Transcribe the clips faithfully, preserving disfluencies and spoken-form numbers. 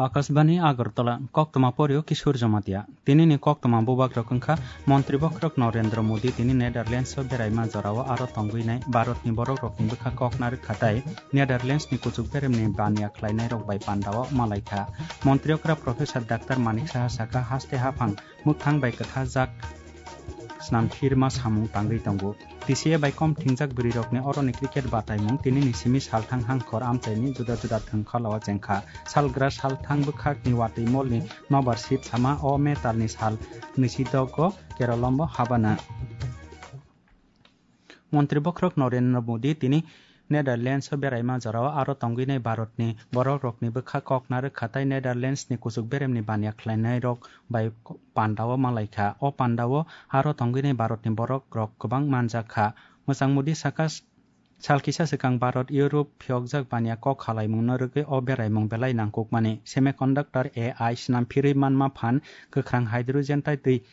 Akashbani Agartala, koktwma porio Kishore Jamatia. Tinini koktwma bubagrok wngkha Montri Bokhorok Narendra Modi tini Netherlands o beraima jorao aro tongwinai Bharatni borokrokni bwkha kok narwkha tai Netherlands ni kuchuk beremni baniya khlainairok bai pandao malaikha. Montri okra Professor Doctor Manik Saha sakha haste haphang mwkhang bai kwthajak snamphirma samung tangwi tongo. T C A bai kom thingjak bwrwirokni oroni cricket bataimung tinini simi salthang hangkhor amchaini juda juda thwngkhalao chengkha. Salgra salthang bwkhakni watwi molni nobar sip sama o metalni sal nisidogo Keralombo habana. Montri Bokhorok Narendra Modi tini Netherlands o beraima jorao aro tongwinai Bharatni borokrokni bwkha kok narwkha tai Netherlands ni kuchuk beremni baniya khlainairok bai pandao malaikha. O pandao aro tongwinai Bharatni borokrok kwbang manjakha. Mwchang Modi sakha, sal kisa swkang Bharat Europe phiyokjak baniya kok khalaimungno rwgwi o beraimung belai nangkukmani. Semiconductor, A I, snamphirwi manma phan, kwkhrang hydrogen tai twi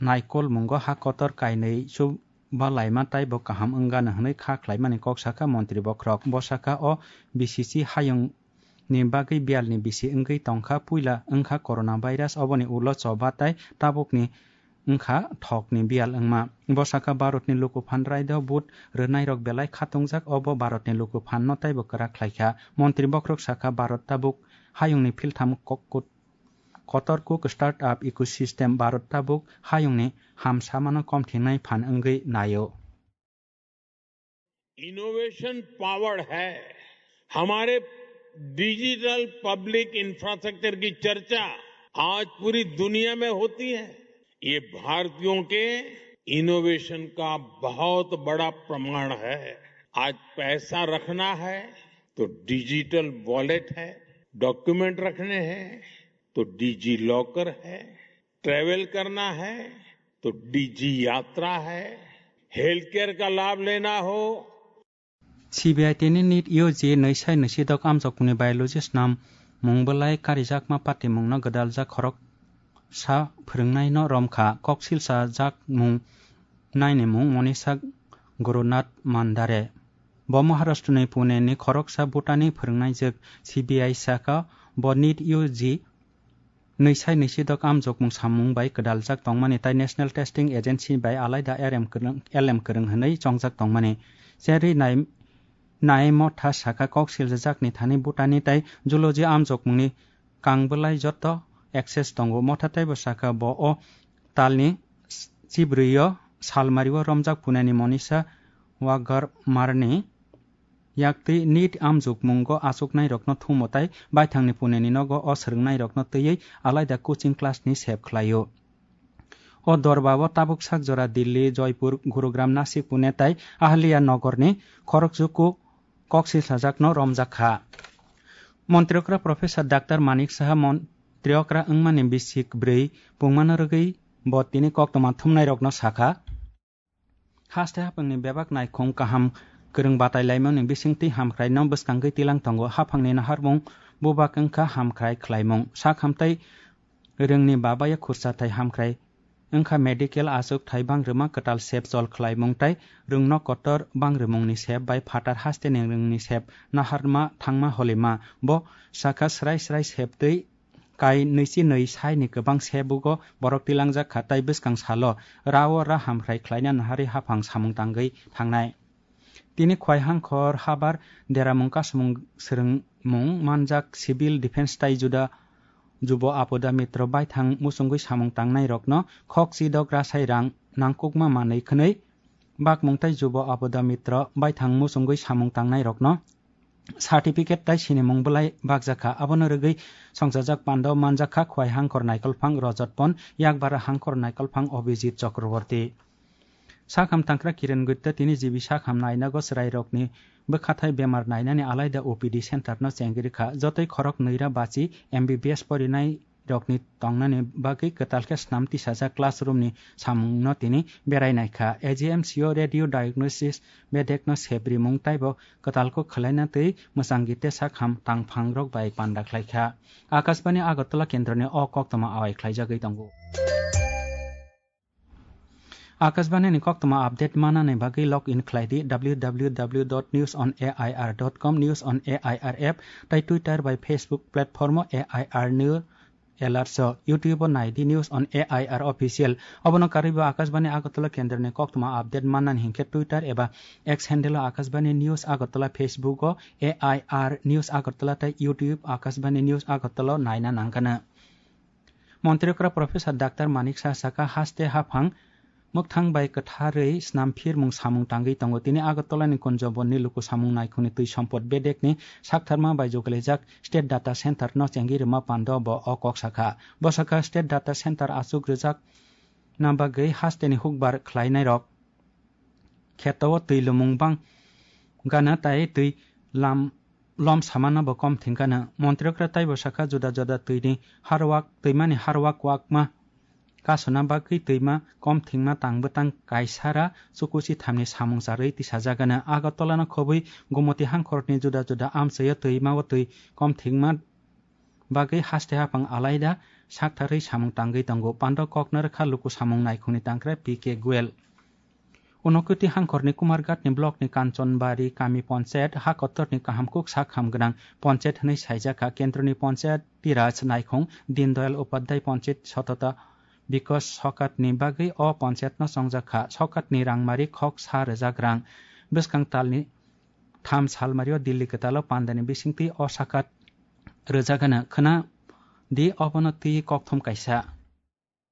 naikolmungo ha kotor kainwi chuba laima taibo kaham wngano hwnwi kha khlaimani kok sakha Montri Bokhorok. Bo sakha o B C C hayungni bagwi biyalni bisi wngwi tongkha, puila wngkha coronavirus, oboni ulo choba tai tabukni wngkha thokni biyal wngma. Bo sakha Bharatni lukuphan raida vote rwnairok belai khatungjak, obo Bharatni lukuphanno taibo kwrak khlaikha. Montri Bokhorok sakha Bharat tabuk hayungni philtham kok-, kotor kuk startup ecosystem Bharat tabuk hayungni hamsamano komthinai phan wngwi naio. Innovation power है। हमारे digital public infrastructure की चर्चा आज पूरी दुनिया में होती है। ये भारतीयों के इनोवेशन का बहुत बड़ा प्रमाण है। आज पैसा रखना है तो डिजिटल वॉलेट है, डॉक्यूमेंट रखने हैं तो डिजी लॉकर है, ट्रैवल करना है तो डिजी यात्रा है, हेल्थ केयर का लाभ लेना हो। C B I tini NEET U G nwi sai nwi sidok amjokmungni biology snam mung belai karijakma patimungno gwdaljak khoroksa phwrwngnaino romkha. Kok silsa jakmung naini mung Monisa Gurunath Mandare. Bo Maharashtra ni Pune ni khoroksa Bhutan ni phwrwngnaijwk. C B I sakha bo NEET U G nwi sai nwi sidok amjokmung samung bai gwdaljak tongmani tai National Testing Agency bai alaida R M kwrwng, L M kwrwng hwnwi chongjak tongmani. Cherwi nai, nai motha sakha kok siljajakni thani Bhutan ni tai zoology amjokmungni kang bwlai joto access tongo. Motha taibo sakha bo o talni chibrwi o salmari o romjak Pune ni Monisa Wagarmarni yaktwi NEET amjokmungo achuknairokno thumo tai baithangni Pune ni nogo o swrwngnairokno twiwi alaida coaching class ni sep khlaio. O dorba o tabuk sak jora Delhi, Joypur, Gurugram, Nasik, Pune tai Ahilya Nagar ni khorokjuku kok silsajakno romjak kha. Montri okra Professor Doctor Manik Saha montri okra wngmani bisik bwrwi pungmano rwgwi bo tini koktwma thumnairokno sakha. Haste haphangni bebak naikhung kaham kwrwng batai laimani bisingtwi hamkraino bwskangwi tilang tongo. Haphangni naharmung bubak wngkha hamkrai khlaimung. Sak hamtai rwngni babaya khursa thai hamkrai wngkha medical achuk thai bangrwma kwtal sep chol khlaimung tai rwngno kotor bangrwmungni sep bai phatar hasteni rwngni sep naharma thangma holima. Bo sakha srai srai septwi kai nwichi nwi saini kwbang sebugo borok tilangjak kha tai bwskang salo ra o ra hamkrai khlaina naharwi haphang samung tangwi thangnai. Tini Khwaihangkhor habar deramung kasumung swrwngmung manjak civil defense tai juda jubo Apoda Mitro baithang muchungwi samung tangnairokno khok chidok rasai rang nangkukma manwi khwnwi bakmung tai jubo Apoda Mitro baithang muchungwi samung tangnairokno certificate tai sinimung bwlai bakjakha. Abono rwgwi songchajak pandao manjakha Khwai Hangkhor Naikolphang Rajat Pon, Yakbara Hangkhor Naikolphang Abhijit Chakraborty. Sakham tangkra Kiren Gutte tini G B sakham nainago chwrairokni bwkhathai bemar nainani alaida O P D center no chengri kha. Jotoi khorok nwira bachi M B B S porinai rokni tongnani bagwi kwtal khe snam tisajak classroom ni samung no tini berai naikha. A G M C o radio diagnosis bedek no sep rimung taibo kwtal kok khwlaina twi mwchangwi te sakham tangphang rok bai panda khlaikha. Akashbani Agartala kendro ni o koktwma awai khlaijagwi tongo. Akashbani ni koktwma update manani bagwi log in khlai di W W W dot news on A I R dot com, News on A I R app, tai Twitter bai Facebook platform o A I R News Alerts o, YouTube o nai di News on A I R Official. Obono karwi bo Akashbani Agartala kendroni koktwma update mannani hinkhe Twitter eba X handle o Akashbani News Agartala, Facebook o A I R News Agartala tai YouTube Akashbani News Agartala o naina nangkana. Montri okra Professor Doctor Manik Saha saka haste haphang mwkthang bai kwtharwi snam phirmung samung tangwi tongo. Tini Agartala ni Kunjabon ni luku samung naikhungni twi sompot bedek ni saktharma bai joglaijak State Data Center no chengwi rwma pando bo o kok sakha. Bo sakha State Data Center achuk rwjak na bagwi haste ni hukbar khlainai rok kheto o twi lumung bang gana tai twi lam lom samano bo kom thingkano. Montri okra taibo sakha juda juda twini harwak, twimani harwak wakma kasuna bagwi twima kom thingma tang bwtang kaisara chukuchi thamni samung charwi tisajagano. Agartala no khobwi Gomoti hangkhorni juda juda amchaio twima o twi kom thingma bagwi haste haphang alaida saktharwi samung tangwi tongo. Pando kokno rwkha luku samung naikhungni tangkra P K Goel. Unokoti hangkhorni Kumarghatni blockni Kanchanbari kami ponchayat ha kotorni kaham kuk sak ham gwnang ponchayat hwnwi saijakha. Kendroni Panchayati Raj naikhung Deen Dayal Upadhyay Panchayat Satata Bikas Sakatni bagwi o panchayatno chongjakha. Sakatni rangmari khok sa rwjak rang. Bwskang talni tham salmario Delhi kwtalo pandani bisingtwi o sakat rwjagano. Khwna di obono twi kokthum kaisa.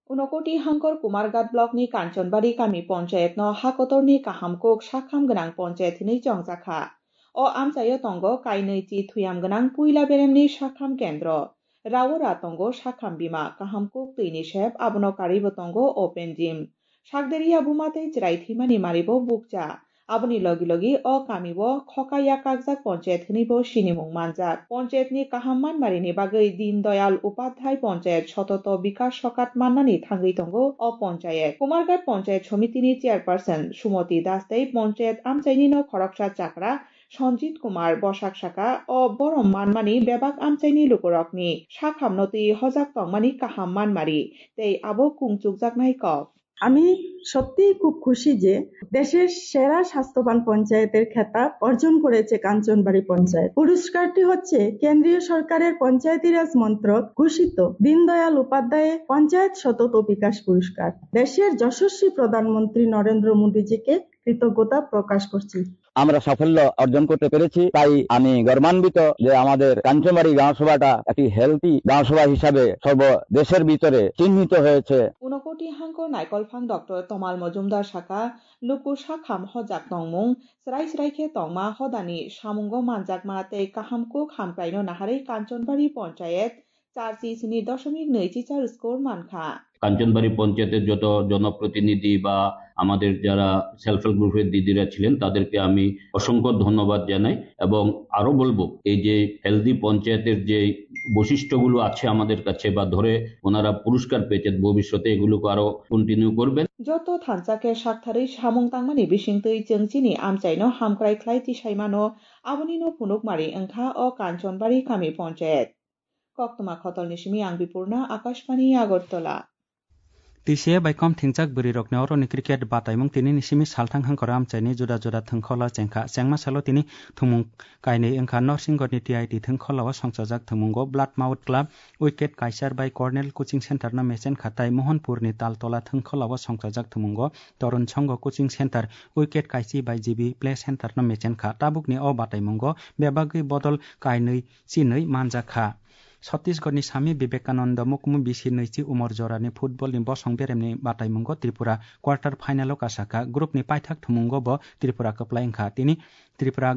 Unokoti hangkor Kumarghat blockni Kanchanbari kami ponchayatno ha kotorni kaham kuk sakham gwnang ponchayat hinwi chongjakha. O amchaio tongo kainwi chi thuyam gwnang puila beremni sakham kendro. Raora tongo sakham bima, kaham kuk twini sep, abono karwibo tongo open gym. Sakderiya buma tei chwrai thwimani maribo bukcha. Aboni logi logi o kamio khoka yakakjak ponchayat hwnwibo sinimung manjak. Ponchayatni kaham manmarini bagwi Deen Dayal Upadhyay Ponchayat Sototo Bikas Sokat mannani thangwi tongo o ponchayat. Kumarghat Ponchayat Somitini Chairperson Sumoti Das tei ponchayat amchainino khoroksa chakra Sanjit Kumar bwsak saka, o borom manmani bebak amchaini lukurokni sakhamno twi hojak tongmani kaham manmari tei abo kungchukjaknai kok. আমি সত্যিই খুব খুশি যে দেশের সেরা স্বাস্থ্যবান পঞ্চায়েতের খেতাব অর্জন করেছে কাঞ্চনবাড়ি পঞ্চায়েত। পুরস্কারটি হচ্ছে কেন্দ্রীয় সরকারের পঞ্চায়েতি রাজ মন্ত্রক ঘোষিত দীনদয়াল উপাধ্যায় পঞ্চায়েত সতত বিকাশ পুরস্কার। দেশের যশস্বী প্রধানমন্ত্রী নরেন্দ্র মোদীজিকে কৃতজ্ঞতা প্রকাশ করছি। আমরা সাফল্য অর্জন করতে পেরেছি, তাই আমি গর্বান্বিত যে আমাদের কাঞ্চনবাড়ি গাঁওসভাটা একটি হেলদি গাঁওসভা হিসাবে সর্ব দেশের ভিতরে চিহ্নিত হয়েছে। Unokoti hangkor naikolphang Doctor Tomal Mojumdar saka, luku sakham hojak tongmung, chwrai chwrai khe tongma hodani samungo manjakma tei kaham kuk hamkraino naharwi Kanchanbari Ponchayat চার সি স্নি দশমিক নয় চিচার স্কোর মানখা। কাঞ্চনবাড়ি পঞ্চায়েতের যত জনপ্রতিনিধি বা আমাদের যারা সেলফ হেল্প গ্রুপের দিদিরা ছিলেন, তাদেরকে আমি অসংখ্য ধন্যবাদ জানাই এবং আরো বলবো, এই যে হেলদি পঞ্চায়েতের যে বৈশিষ্ট্যগুলো আছে আমাদের কাছে বা ধরে ওনারা পুরস্কার পেয়েছেন, ভবিষ্যতে এগুলোকে আরো কন্টিনিউ করবেন। Joto thansa khe saktharwi samung tangmani bisingtwi chwng chini amchaino hamkrai khlai tisaimano, abonino phunukmari wngkha o Kanchanbari kami ponchayat. Koktwma khotolni simi ang Bipurna, Akashbani Agartala. T C A bai kom thingjak bwrwirokni oroni cricket bataimung tinini simi salthang hangkor amchaini juda juda thwngkhola chengkha. Chengma salo tini thwngmung kainwi wngkha. Norsingorni T I T thwngkholao songchajak thwngmungo Bloodmouth Club wicket kaichar bai Cornell Coaching Centre no mechen kha tai Mohanpurni Taltola thwngkholao songchajak thwngmungo Torun Songho Coaching Centre wicket kaichi bai G B Play Centre no mechen kha. Tabukni o bataimungo bebagwi bodol kainwi chinwi manjak kha. Chhattisgarhni Swami Vivekananda Mukmu bisi nwichi umor jorani football ni bosong beremni bataimungo Tripura quarter final o kasakha. Group ni paithak thwngmungo bo Tripura kwplai wngkha. Tini Tripura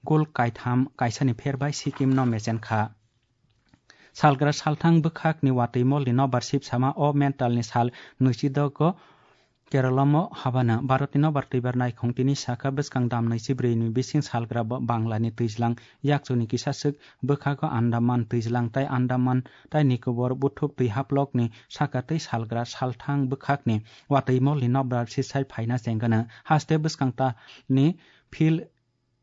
goal kaitham kaisani pher bai Sikkim no mechen kha. Salgra salthang bwkhakni watwi molni nobar sibsama o mentalni sal nwichi dogo Keralamo habana. Bharatni nobar twibar naikhong tini sakha bwskang dam nwichi brwini bising salgra bo Banglani twijlang yakchuni kisa swk bwkhago Andaman twijlang tai Andaman tai Nikobor buthuk twi haplokni saka twi salgra salthang bwkhakni watwi molni nobar sisai phaina chengano. Haste bwskang tani phil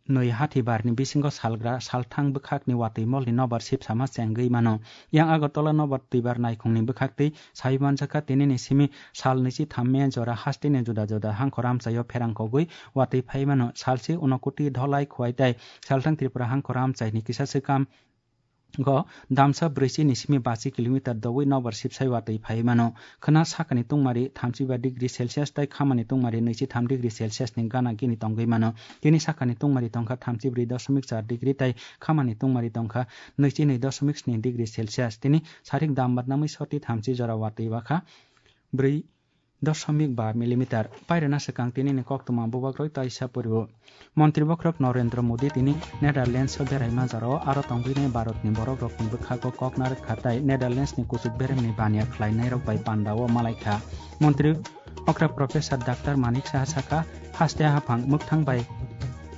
nwi hathibarni bisingo salgra salthang bwkhakni watwi molni nobar sipsama chengwi mano. Yang Agartala nobar twibar naikhungni bwkhaktwi sai manjakha, tinini simi sal nwichi thammya jora hasteni juda juda hangkhor amchaio pherang kogwi watwi phai mano. Salsi Unakoti, Dholai, Khowai tai salthang Tripura hangkhor amchaini kisa swkam go damsa brwichi ni simi bachi kilometer dowi nobar sipsai watwi phai mano. Khwna sakani tungmari thamchi ba degree Celsius tai khamani tungmari nwichi tham degree Celsius ni gana gini tongwi mano. Tini sakani tungmari tongkha thamchi brwi doshomik char degree tai khamani tungmari tongkha nwichi nwi doshomik sni degree Celsius. Tini sarik dam badnamwi soti thamchi jora watwi wakha brwi doshomik ba millimeter. Pairwna swkang tinini koktwma bubagroi taisa poriwo. Montri bokhorok Narendra Modi tini Netherlands o beraima jorao aro tongwinai Bharatni borokrokni bwkhago kok narwkha tai Netherlands ni kuchuk beremni baniya khlainairok bai pandao malaikha. Montri okra Professor Doctor Manik Saha sakha, haste haphang mwkthang bai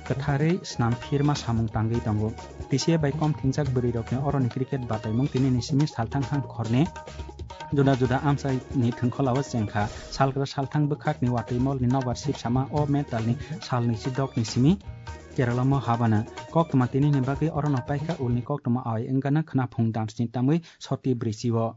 kwtharwi snam phirma samung tangwi tongo. T C A bai kom thingjak bwrwirokni oroni cricket bataimung tinini simi salthang hangkhorni juda juda amchaini thwngkholao chengkha. Salgra salthang bwkhakni watwi molni nobar sipsama o mentalni salni chidokni simi Keralamo habana. Koktwma tinini bagwi orono paikha ulni koktwma awai wngana khwnaphung damsni tamwi soti brwichio.